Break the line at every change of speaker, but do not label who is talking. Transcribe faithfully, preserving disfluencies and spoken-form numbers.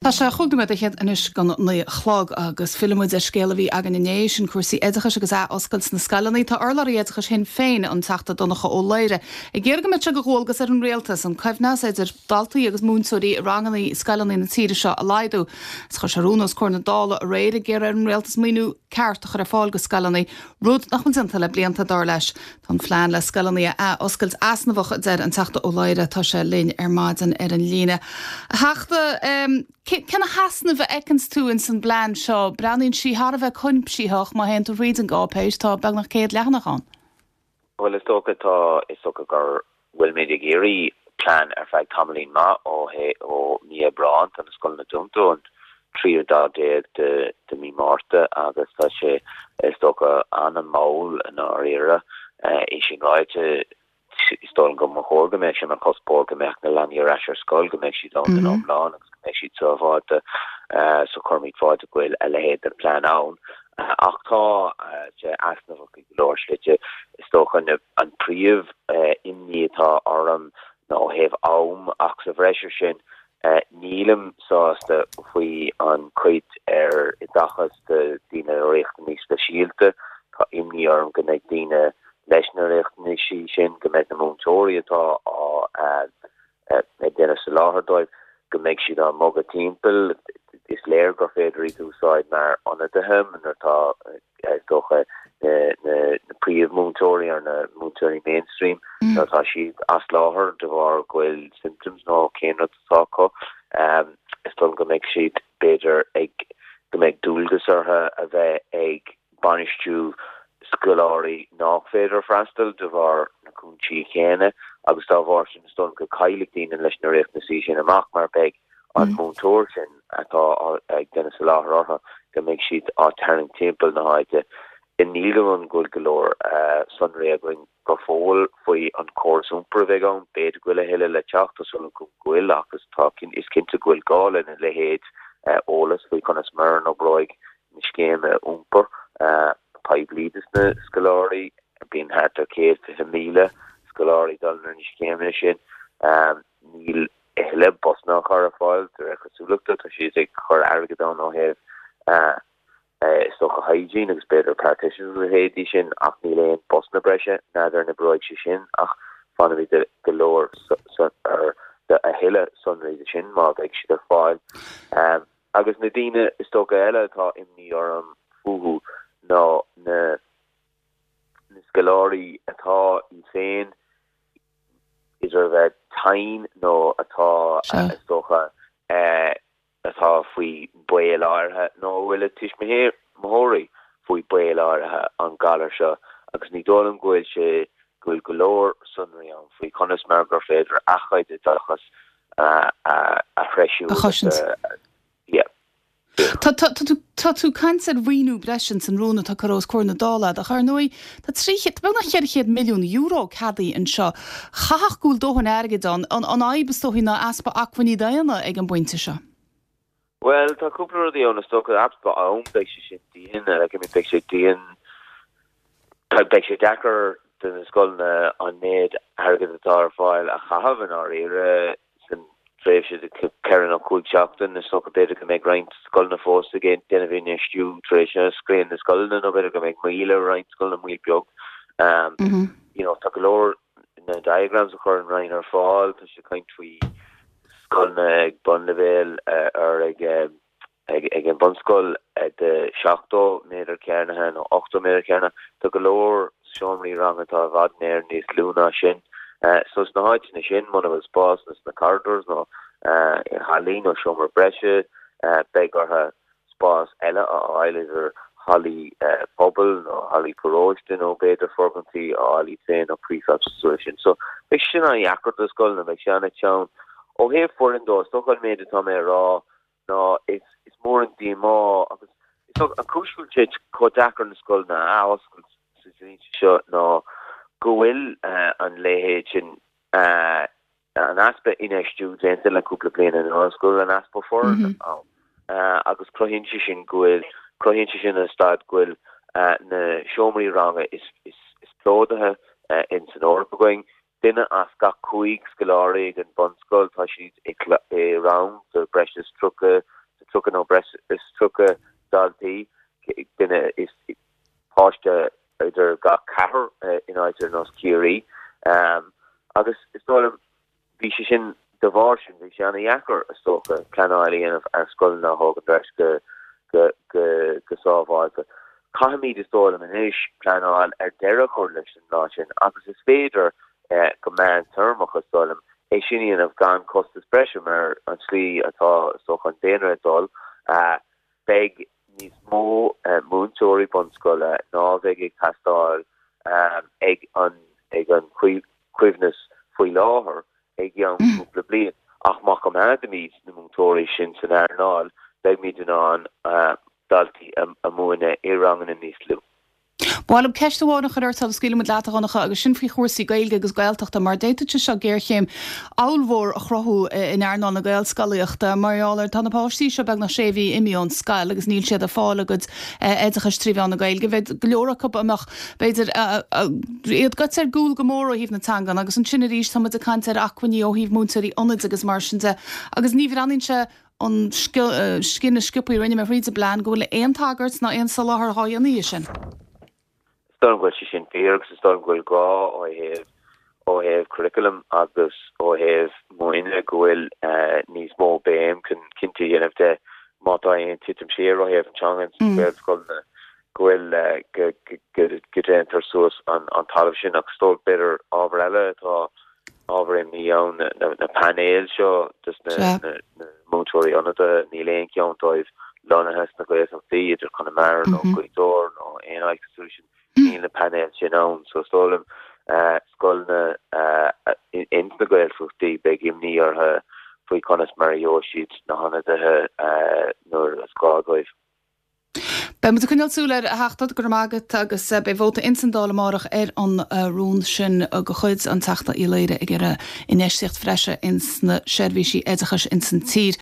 Tá sé chúig nóiméad fhichead anois don naoi a chlog agus fillfimid ar scéal a bhí againn inné sin cúrsaí oideachais agus athoscailt na scoileanna. Tá urlabhraí oideachais Shinn Féin an Teachta Donncha Ó Laoghaire ag iarraidh go mbeadh sé de dhualgas ar an rialtas an coibhneas idir daltaí agus múinteoirí i ranganna scoileanna na tíre seo a laghdú. Is chuir sé rún os comhair na Dála aréir ag iarraidh ar an rialtas maoiniú ceart a chur ar fáil go scoileanna, rud nach bhfuil déanta le blianta dar leis. Tá an phlean le scoileanna a athoscailt easnamhach deir an Teachta Ó Laoghaire tá sé linn ar maidin ar an líne. A Theachta um, cén t-easnamh a fheiceanns tú in san bplean seo, breathnaíonn sé thar a bheith cuimsitheach má théann tú thríd an gcáipéis tá beagnach céad leathanach ann.
Well is dócha tá is dócha gur bhfuil muid ag iarraidh plean ar feadh tamaillín maith ó ó mí Aibreán tá na scoileanna dúnta an tríú lá déag de de mí Márta agus tá sé is dócha an-mhall i ndáiríre é sin ráite is dóigh go mba chóir go mbeadh sé mar chuspóir go mbeadh na leanaí ar ais ar scoil go mbeadh siad ann den iomlán agus go mbeadh siad sábháilte so cuirimid fáilte go bhfuil a leithéid de plean ann ach tá sé easnamhach go leor slite is dócha an príomh imní atá orm ná ó thaobh am ach sa bhreis ar sin nílim sásta faoi an cuid ar oideachas do daoine riachtanais speisialta tá imní orm go mbeidh daoine leis na riachtanais sin go mbeidh na múinteoirí atá á ag déanamh soláthar dóibh go mbeidh siad á mbogadh timpeall is léir gur féidir iad úsáid mar ionadaithe nuair atá is dócha na na na príomh-mhúinteoirí ar na múinteoirí mainstream mm. tá siad as láthair de bharr go bhfuil symptoms nó cén rud atá acu um, is dóigh go mbeidh siad b'fhéidir ag go mbeidh dualgas orthu a bheith ag bainistiú scoláirí nach féidir freastal de bharr na cúinsí céanna agus dá bharr sin is dóigh go gcaillfidh daoine leis na riachtanais sin amach mar beidh an múinteoir sin atá ag déanamh soláthar orthu go mbeidh siad á tarraingt timpeall na háite. Níl an go go leor sonraí againn go fóill faoi an córas iompair a bheidh ann b'fhéidir go bhfuil a thuilleadh le teacht is go bhfuil agus tá is cinnte go bhfuil gá lena leithéid eolas faoi conas mar a oibreoidh na scéime iompair poiblí dos na scoláirí bíonn thart ar céad fiche míle scoláirí dul ar na scéime sin níl a thuilleadh busanna á chur ar fáil de réir cosúlachta tá siad ag chur airgead ann ó thaobh is dócha hygiene agus b'fhéidir partitions a leithéidí sin ach níl aon busanna breise n'fheadar an oibreoidh sé sin ach fanfaimid go leor ar a thuilleadh sonraí de sin má bheidh siad ar fáil. Um, agus na daoine is dócha eile atá imní orm fúthu ná na na scoláirí atá i féin idir a bheith tinn nó atá is dócha uh, atá faoi baol áirithe nó bhfuil a tuismitheoirí faoi baol áirithe an galar seo agus ní dóigh liom go bhfuil sé go bhfuil go leor sonraí ann faoi conas mar gur féidir a chuid oideachas a threisiú.
Tá tú ag caint ar mhaoiniú breise san rún atá curtha os comhair na Dála ach ar ndóigh tá trí beagnach ceithre chéad milliún euro ceadaithe anseo. Chaithfeadh go bhfuil dóthain airgid ann an an fhadhb is dóigh ná easpa acmhainní daonna ag an bpointe seo.
Well tá cúpla rudaí ann is dócha easpa am beidh sé sin dian like, I mean, beidh sé dian beidh sé deacair do na scoileanna an méid airgead atá ar fáil a chaitheamh in áirithe san tréimhse de ceithre nó cúig seachtain is dócha b'fhéidir go mbeidh roinnt scoileanna fós ag déanamh infheistiú tar éis oscailt na scoileanna nó b'fhéidir go mbeidh moill ar roinnt scoileanna moill beag. Um, mm -hmm. you know, tá go leor na diagrams a chur an Roinn ar fáil tá sé caint faoi scoileanna ag bunleibhéal ar ag ag ag an bunscoil de seachtó méadar cearnaithe nó ochtó méadar cearnaithe tá go leor seomraí ranga atá i bhfad néir níos lú ná sin. Uh, so sna háiteanna sin muna bhfuil spás sna corridors nó uh, i hallaí nó seomra breise uh, beidh orthu spás eile a fháil idir hallaí uh, pobail nó hallaí paróiste nó b'fhéidir foirgintí a fháil féin nó prefabs sin. So beidh sin an-deacair do scoileanna beidh sin an-teann ó thaobh foireann dó is dócha an méid atá mé rá ná is is mór an díomá agus is an chúis go bhfuil sé chomh deacair na scoileanna a oscailt sa seo ná go bhfuil uh, an leithéid sin uh, an easpa infheistiú déanta le cúpla bliain anuas go bhfuil an easpa foireann mm -hmm. uh, agus cruthaíonn sé sin go bhfuil cruthaíonn sé sin an staid go bhfuil uh, na seomraí ranga is is is plódaithe uh, in san Eoraip againn Duine as gach cúig scoláirí ag an bunscoil, tá siad i rang de breis is tríocha, tríocha nó breis is tríocha daltaí, duine is páiste idir gach ceathrar in áit ar nós Ciarraí. Agus is dóigh liom, bhí sé sin, de bharr sin, bhí sé ana-dheacair, is dócha, pleanáil a dhéanamh ar scoileanna a thógaint ar ais go, go, go, go sábháilte. Caithfimid, is dóigh liom anois, pleanáil ar deireadh a chur leis an lá sin agus is féidir go meántéarmach, is dóigh liom, é sin a dhéanamh gan costas breise mar an tslí atá, is dócha, an daonra ag dul, beidh níos mó múinteoirí bunscoile ná a bheidh ag teastáil ag an ag an choibhneas faoi láthair i gceann cúpla bliain. Ach má choimeádaimid na múinteoirí sin san earnáil, beimid in ann daltaí a mhúineadh i ranganna níos lú.
Ba mhaith liom ceist amháin a chur ort sula scaoilfidh muid leat, a Dhonncha, agus sin faoi chúrsaí Gaeilge agus Gaeltachta, mar d'fhéadfadh sé seo géarchéim ollmhór a chruthú in earnáil na Gaelscolaíochta mar gheall ar tá na páistí seo beagnach sé mhí imithe ón scoil agus níl siad ag fáil a gcuid oideachais trí mheán na Gaeilge. Bheadh go leor acu a mbeadh, b'fhéidir, iad gaite ar gcúl go mór ó thaobh na teangan agus ansin arís tá muid ag caint ar acmhainní ó thaobh múinteoirí ionaid agus mar sin de agus ní bhreathnaíonn sé ón scinneadh sciobtha a rinne mé thríd an bplean go bhfuil aon tagairt ná aon soláthar dhá dhéanamh dhe sin.
Is dóigh liom go bhfuil sé sin fíor agus is dóigh liom go bhfuil gá ó thaobh ó thaobh curriculum agus ó thaobh múineadh go bhfuil níos mó béim chun cinnte a dhéanamh de má tá aon titim siar ó thaobh an teanga sna Gaelscoileanna go bhfuil go go go déantar suas an an talamh sin agus is dóigh b'fhéidir ábhar eile atá ábhar imní ann na na painéil seo dos na na múinteoirí ionadaithe níl aon cheann dóibh lonnaithe sna Gaeltachtaí idir Conamara nó Gaoth Dobhair nó aon áit cosúil sin níl na painéil sin ann so is dóigh liom scoileanna ins na Gaeltachtaí beidh imní orthu faoi conas mar a gheobhaidh siad na hionadaithe nuair is gá dóibh.
Beidh muid ag coinneáil súil air a Theachta, go raibh maith agat agus beidh vóta ins an Dáil amárach ar an rún sin de chuid an Teachta Uí Laoire ag iarraidh infheistíocht bhreise ins na seirbhísí oideachais ins an tír.